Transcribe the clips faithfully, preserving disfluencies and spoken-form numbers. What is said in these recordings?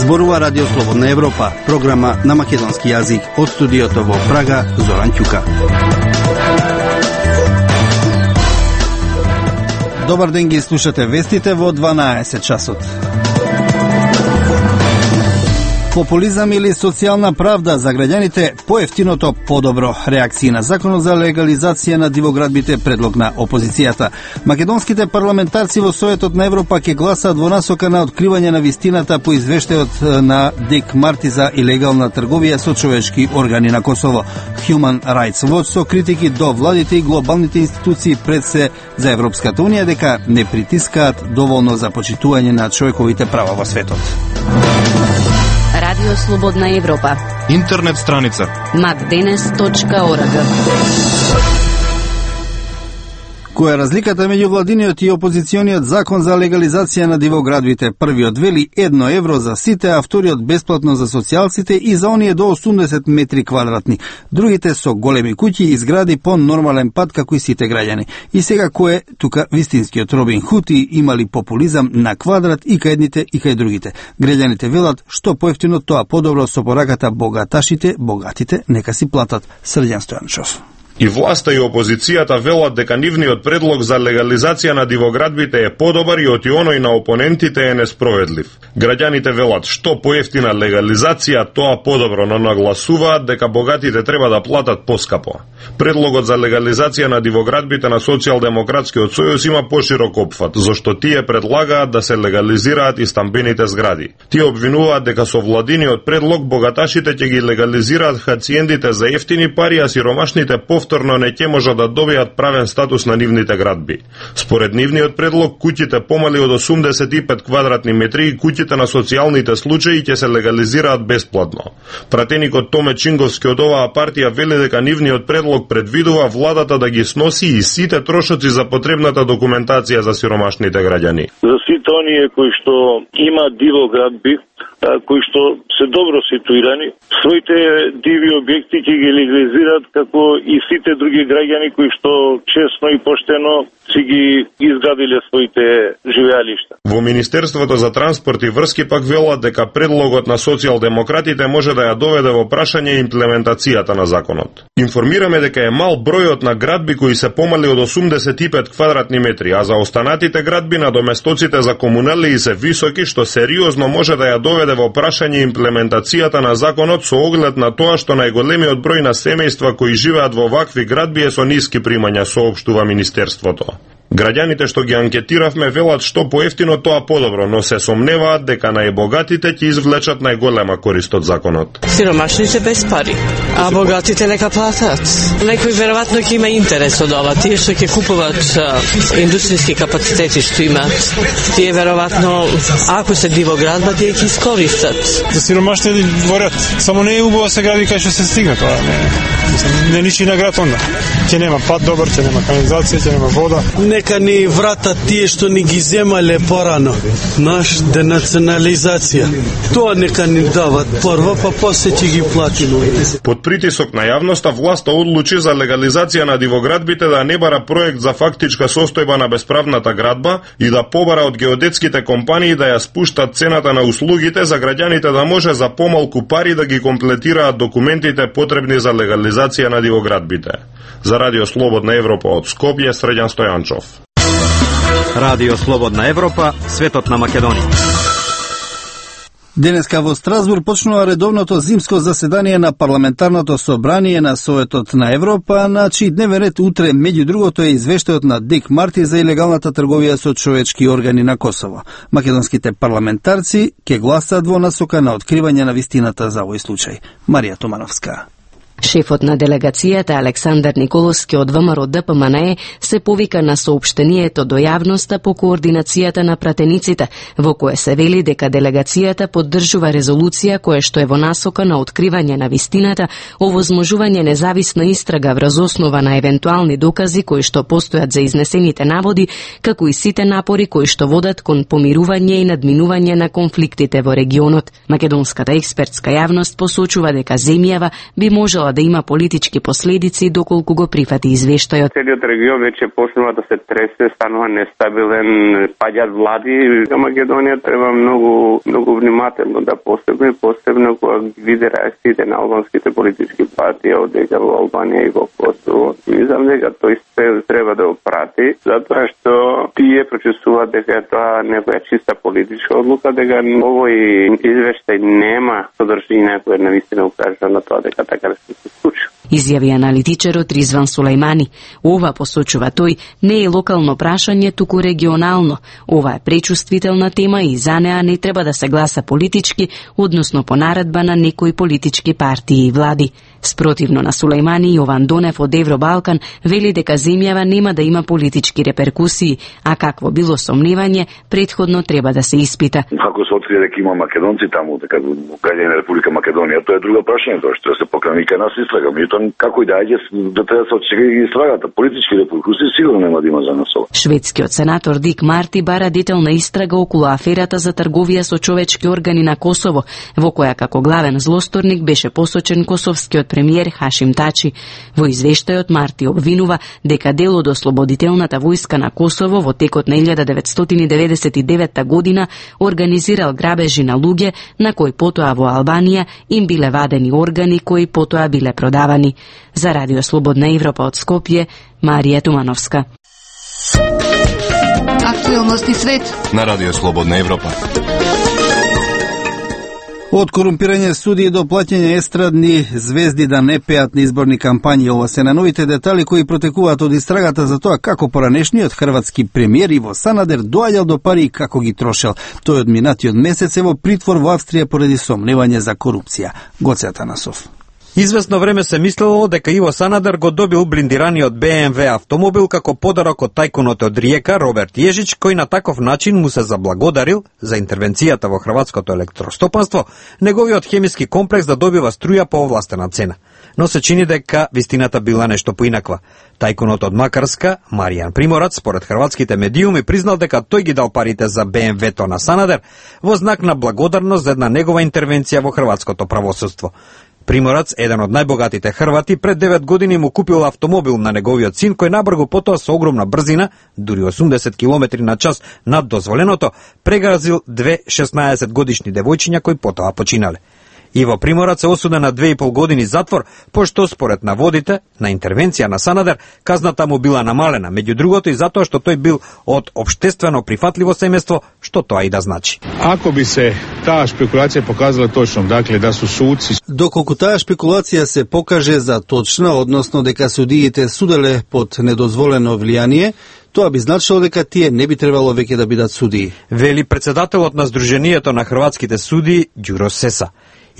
Зборува Радио Слободна Европа, програма на македонски јазик од студиото во Прага, Зоран Ќука. Добар ден, ги слушате вестите во дванаесет часот. Популизам или социјална правда за граѓаните, поевтиното подобро. Реакции на законот за легализација на дивоградбите, предлог на опозицијата. Македонските парламентарци во Советот на Европа ќе гласаат во насока на откривање на вистината по извештајот на Дик Марти за илегална трговија со човечки органи на Косово. Human Rights Watch со критики до владите и глобалните институции пред се за Европската Унија дека не притискаат доволно за почитување на човековите права во светот. Радио Слободна Европа. Интернет страница макденес точка орг. Која е разликата меѓу владиниот и опозициониот закон за легализација на дивоградбите? Првиот вели едно евро за сите, а вториот бесплатно за социјалците и за оние до осумдесет метри квадратни. Другите со големи куќи и згради по нормален пат како и сите граѓани. И сега кој е тука вистинскиот Робин Худ и има ли популизам на квадрат и кај едните и кај другите? Граѓаните велат што поевтино тоа подобро, со пораката богаташите, богатите нека си платат. Срđan Стојанчов. И власта и опозицијата велат дека нивниот предлог за легализација на дивоградбите е подобар и оти оној на опонентите е несправедлив. Граѓаните велат што поевтина легализација, тоа подобро, но нагласуваат дека богатите треба да платат поскапо. Предлогот за легализација на дивоградбите на Социјалдемократскиот сојуз има поширок опфат, зашто тие предлагаат да се легализираат и стамбените згради. Тие обвинуваат дека со владиниот предлог богаташите ќе ги легализираат хациендите за ефтини пари, а сиромашните повторно не ќе можат да добијат правен статус на нивните градби. Според нивниот предлог, куќите помали од осумдесет и пет квадратни метри и куќите на социјалните случаи ќе се легализираат бесплатно. Пратеникот Томе Чинговски од оваа партија вели дека нивниот предлог предвидува владата да ги сноси и сите трошоци за потребната документација за сиромашните граѓани. За сите оние кои што има дивоградби, кои што се добро ситуирани, своите диви објекти ќе ги легализираат како и сите други граѓани кои што честно и поштено си ги изградиле своите живеалишта. Во Министерството за транспорт и врски пак велат дека предлогот на социјалдемократите може да ја доведе во прашање имплементацијата на законот. Информираме дека е мал бројот на градби кои се помали од осумдесет и пет квадратни метри, а за останатите градби надоместоците за комуналии се високи, што сериозно може да ја доведе во прашање имплементацијата на законот со оглед на тоа што најголемиот број на семејства кои живеат во вакви градби е со ниски примања, соопштува Министерството. Граѓаните што ги анкетиравме велат што поевтино тоа подобро, но се сомневаат дека најбогатите ќе извлечат најголема корист од законот. Сиромашните без пари, а богатите нека платат. Некој веројатно ќе има интерес од ова, тие што ќе купуваат индустријски капацитети што имаат. Тие веројатно, ако се дивоградба, тие ќе искористат. За сиромашните дворат, само не е убаво се гради кај што се стигне тоа, не. Не личи на град онда. Ќе нема пат добар, ќе нема канализација, ќе нема вода. Нека ни вратат тие што ни ги земале порано. Наш денационализација. Тоа нека ни дават прво, па после ќе ги платиме. Под притисок на јавноста, власта одлучи за легализација на дивоградбите да не бара проект за фактичка состојба на бесправната градба и да побара од геодетските компании да ја спуштат цената на услугите за граѓаните да може за помалку пари да ги комплетираат документите потребни за легализација на дивоградбите. За Радио Слободна Европа од Скопје, Срđan Стојанчов. Радио Слободна Европа, светот на Македонија. Денеска во Страсбург почнува редовното зимско заседание на парламентарното собрание на Советот на Европа, на чиј дневен ред утре меѓу другото е извештајот на Дик Марти за илегалната трговија со човечки органи на Косово. Македонските парламентарци ќе гласаат во насока на откривање на вистината за овој случај. Марија Томановска. Шефот на делегацијата Александар Николовски од ВМРО Д П М Н Е се повика на соопштението до јавноста по координацијата на пратениците, во кое се вели дека делегацијата поддржува резолуција која што е во насока на откривање на вистината, овозможување независна истрага врз основа на евентуални докази кои што постојат за изнесените наводи, како и сите напори кои што водат кон помирување и надминување на конфликтите во регионот. Македонската експертска јавност посочува дека земјава би можела продолжава да има политички последици доколку го прифати извештајот. Целиот регион веќе почнува да се тресе, станува нестабилен, паѓаат влади. За Македонија треба многу многу внимателно да постапи, посебно кога види реакциите на албанските политички партии одека во Албанија и во Косово. Мислам дека тој треба да го прати, затоа што тие прочесуваат дека тоа некоја чиста политичка одлука, дека овој извештај нема содржина која навистина укажува на тоа дека така да се случи. Изјави аналитичарот Ризван Сулајмани. Ова, посочува тој, не е локално прашање, туку регионално. Ова е пречувствителна тема и за неа не треба да се гласа политички, односно по наредба на некои политички партии и влади. Спротивно на Сулајмани, Јован Донев од Евробалкан вели дека земјава нема да има политички реперкусии, а какво било сомневање, предходно треба да се испита. Ако се открие дека има македонци таму, дека граѓани на Република Македонија, тоа е друго прашање, тоа што се покрени кај нас истрага. Меѓутоа, како и да аѓе, да треба да се очека и истрагата. Политички реперкусии сигурно нема да има за нас ова. Шведскиот сенатор Дик Марти бара детална истрага околу аферата за трговија со човечки органи на Косово, во која како главен злосторник беше посочен косовскиот премиер Хашим Тачи. Во извештајот Марти обвинува дека дел од Ослободителната војска на Косово во текот на илјада деветстотини деветдесет и девета година организирал грабежи на луѓе на кои потоа во Албанија им биле вадени органи кои потоа биле продавани. За Радио Слободна Европа од Скопје, Марија Тумановска. Актуелности свет на Радио Слободна Европа. Од корумпирање судии до плаќање естрадни звезди да не пеат на изборни кампањи, ова се на новите детали кои протекуваат од истрагата за тоа како поранешниот хрватски премиер Иво Санадер доаѓал до пари и како ги трошел. Тој од минатиот месец е во притвор во Австрија поради сомневање за корупција. Гоце Атанасов. Известно време се мислело дека Иво Санадер го добил блиндираниот Б М В автомобил како подарок од тајкунот од Риека Роберт Јежич, кој на таков начин му се заблагодарил за интервенцијата во хрватското електростопанство, неговиот хемиски комплекс да добива струја по овластена цена. Но се чини дека вистината била нешто поинаква. Тајкунот од Макарска, Маријан Приморац, според хрватските медиуми, признал дека тој ги дал парите за Б М В-то на Санадер во знак на благодарност за една негова интервенција во хрватското правосудство. Приморац, еден од најбогатите хрвати, пред девет години му купил автомобил на неговиот син, кој набргу потоа со огромна брзина, дури осумдесет километри на час над дозволеното, прегазил две шеснаесет годишни девојчиња кои потоа починале. Иво Приморац е осуден на две и пол години затвор, пошто според наводите на интервенција на Санадер казната му била намалена, меѓу другото и затоа што тој бил од општествено прифатливо семејство, што тоа и да значи. Ако би се таа шпекулација показала точно, дакле да су судци, доколку таа шпекулација се покаже за точна, односно дека судиите суделе под недозволено влијание, тоа би значило дека тие не би требало веќе да бидат судии, вели председателот на Сдруженијето на хрватските судии Ѓуро Сеса.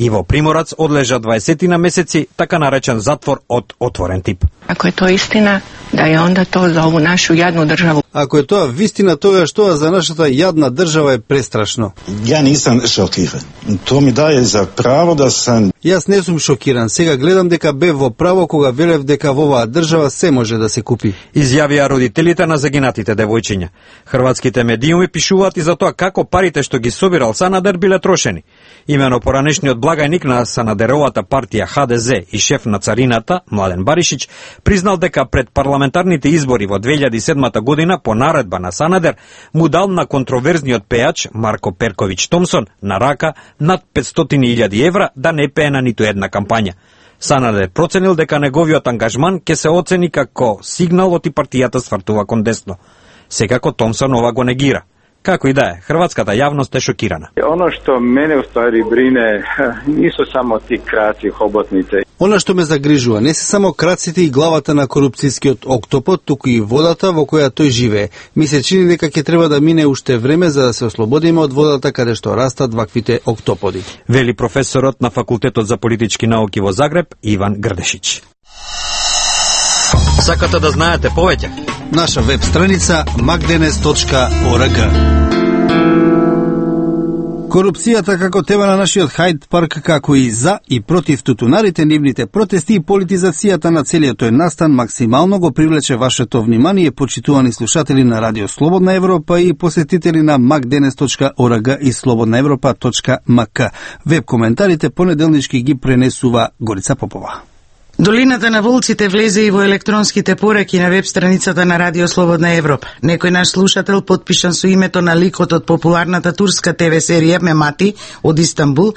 Иво Приморац одлежа дваесет на месеци, така наречен затвор од отворен тип. Ако е тоа истина, да е онда тоа за ову нашу јадну државу. Ако е тоа вистина, тогаш тоа за нашата јадна држава е престрашно. Ја нисам шокиран. Тоа ми дае за право да сам... Јас не сум шокиран. Сега гледам дека бев во право кога велев дека во оваа држава се може да се купи. Изјавија родителите на загинатите девојчиња. Хрватските медиуми пишуваат и за тоа како парите што ги собирал Санадер биле трошени. Имено поранешниот благајник на Санадеровата партија Х Д З и шеф на царината, Младен Баришич, признал дека пред парламентарните избори во две илјади и седма година по наредба на Санадер му дал на контроверзниот пејач Марко Перковиќ Томсон на рака над петстотини илјади евра да не пее на ниту една кампања. Санадер проценил дека неговиот ангажман ќе се оцени како сигнал оти партијата свртува кон десно. Секако Томсон ова го негира. Како и да е, хрватската јавност е шокирана. Оно што мене уствари брине нису само ти краци хоботните. Она што ме загрижува не се само краците и главата на корупцијскиот октопод, туку и водата во која тој живее. Ми се чини дека ќе треба да мине уште време за да се ослободиме од водата каде што растат ваквите октоподи, вели професорот на Факултетот за политички науки во Загреб Иван Грдешич. Сакате да знаете повеќе? Наша веб страница макденес точка орг. Корупцијата како тема на нашиот Хајд парк, како и за и против тутунарите, нивните протести и политизацијата на целиот тој настан максимално го привлече вашето внимание, почитувани слушатели на Радио Слободна Европа и посетители на макденес точка орг и слободна европа точка м к. Веб коментарите понеделнички ги пренесува Горица Попова. Долината на волците влезе и во електронските пораки на веб страницата на Радио Слободна Европа. Некој наш слушател, подпишан со името на ликот од популарната турска те ве серија Мемати од Истанбул,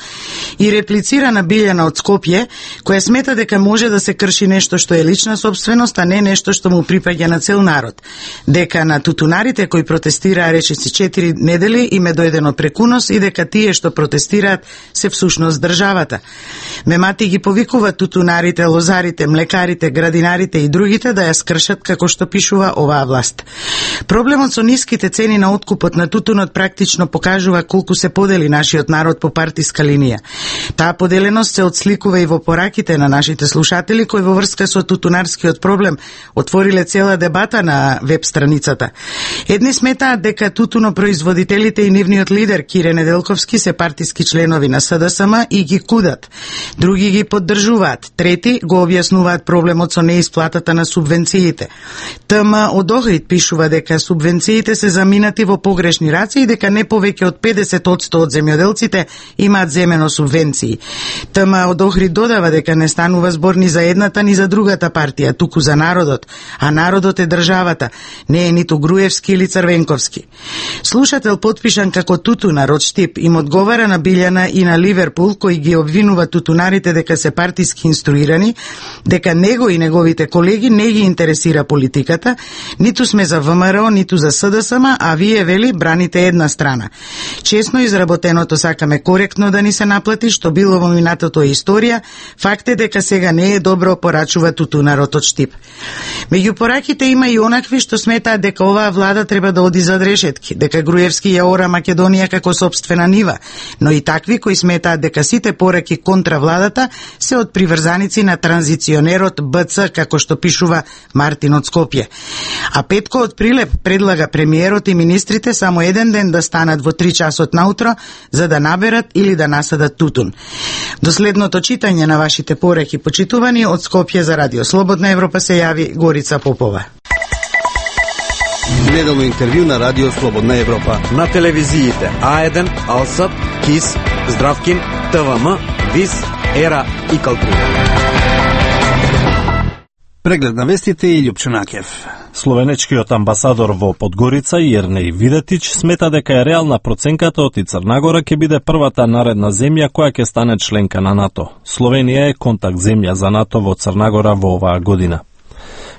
и реплицира на Билјана од Скопје, која смета дека може да се крши нешто што е лична собственост, а не нешто што му припаѓа на цел народ. Дека на тутунарите кои протестираа речиси четири недели им е дојдено прекунос и дека тие што протестираат се всушност државата. Мемати ги повикува тутунарите, лозарите, млекарите, градинарите и другите да ја скршат како што пишува оваа власт. Проблемот со ниските цени на откупот на тутунот практично покажува колку се подели нашиот народ по партиска линија. Таа поделеност се отсликува и во пораките на нашите слушатели кои во врска со тутунарскиот проблем отвориле цела дебата на веб страницата. Едни сметаат дека тутунопроизводителите и нивниот лидер Кире Неделковски се партиски членови на С Д С М и ги кудат. Други ги поддржуваат. Трети го објаснуваат проблемот со неисплатата на субвенциите. Т М од Охрид пишува дека субвенциите се заминати во погрешни раце и дека не повеќе од педесет одсто од земјоделците имаат земено субвенции. Т М од Охрид додава дека не станува збор ни за едната ни за другата партија, туку за народот, а народот е државата, не е ниту Груевски или Црвенковски. Слушател подпишан како тутунар од Штип им одговара на Билјана и на Ливерпул, кои ги обвинува тутунарите дека се партиски инструирани, дека него и неговите колеги не ги интересира политиката, ниту сме за В М Р О, ниту за С Д С М, а вие, вели, браните една страна. Чесно изработеното сакаме коректно да ни се наплати, што било во минатото е историја, факт е дека сега не е добро, порачува тутунарот од Штип. Меѓу пораките има и онакви што сметаат дека оваа влада треба да оди за решетки, дека Груевски ја ора Македонија како сопствена нива, но и такви кои сметаат дека сите пораки контра владата се од приврзаници на транзиционерот Б Ц, како што пишува Мартин од Скопје. А Петко од Прилеп предлага премиерот и министрите само еден ден да станат во три часот наутро за да наберат или да насадат тутун. До следното читање на вашите пораки, почитувани, од Скопје за Радио Слободна Европа се јави Горица Попова. Неделно интервју на Радио Слободна Европа. На телевизиите А еден, Алсат, КИС, Здравкин, Т В М, ВИС, Ера и Калтри. Преглед на вестите и Љупчанакев. Словенечкиот амбасадор во Подгорица Јернеј Видетич смета дека е реална проценката од и Црнагора ќе биде првата наредна земја која ќе стане членка на НАТО. Словенија е контакт земја за НАТО во Црнагора во оваа година.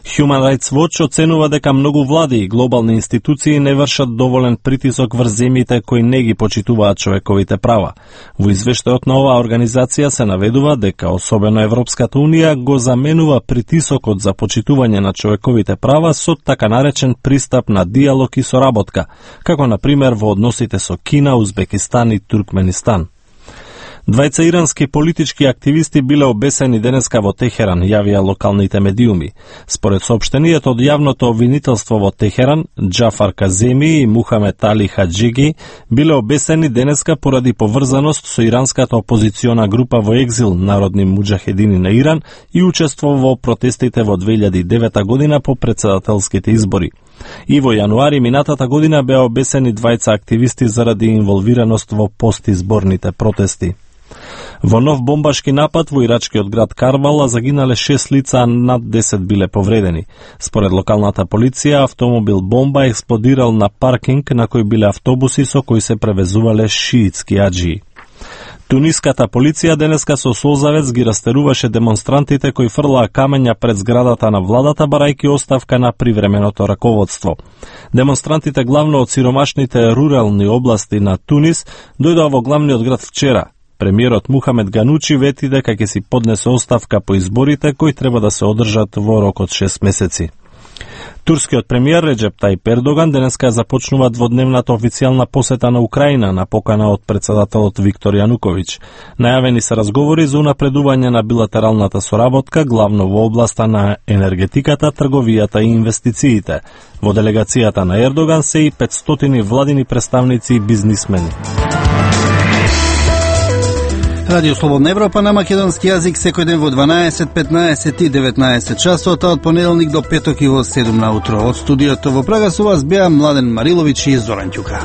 Human Rights Watch оценува дека многу влади и глобални институции не вршат доволен притисок врз земјите кои не ги почитуваат човековите права. Во извештајот на оваа организација се наведува дека особено Европската Унија го заменува притисокот за почитување на човековите права со така наречен пристап на диалог и соработка, како на пример во односите со Кина, Узбекистан и Туркменистан. Двајца ирански политички активисти биле обесени денеска во Техеран, јавија локалните медиуми. Според соопштенијето од јавното обвинителство во Техеран, Џафар Каземи и Мухамед Али Хаджиги биле обесени денеска поради поврзаност со иранската опозициона група во екзил Народни муџахедини на Иран и учество во протестите во две илјади и девета година по претседателските избори. И во јануари минатата година беа обесени двајца активисти заради инволвираност во постизборните протести. Во нов бомбашки напад во ирачкиот град Карбала загинале шест лица, а над десет биле повредени. Според локалната полиција, автомобил бомба експлодирал на паркинг на кој биле автобуси со кои се превезувале шиитски аџии. Туниската полиција денеска со солзавец ги растеруваше демонстрантите кои фрлаа камења пред зградата на владата барајки оставка на привременото раководство. Демонстрантите главно од сиромашните рурални области на Тунис дојдоа во главниот град вчера. Премиерот Мухамед Ганучи вети дека ќе си поднесе оставка по изборите кои треба да се одржат во рок од шест месеци. Турскиот премиер Реджеп Тајип Ердоган денеска започнува дводневната официјална посета на Украина на покана од председателот Виктор Јануковиќ. Најавени се разговори за унапредување на билатералната соработка, главно во областа на енергетиката, трговијата и инвестициите. Во делегацијата на Ердоган се и петстотини владини представници и бизнисмени. Радио Слободна Европа на македонски јазик секој ден во дванаесет, петнаесет и деветнаесет часот, од понеделник до петок и во седум наутро. Од студиото во Прага со вас беа Младен Мариловиќ и Зоран Ќука.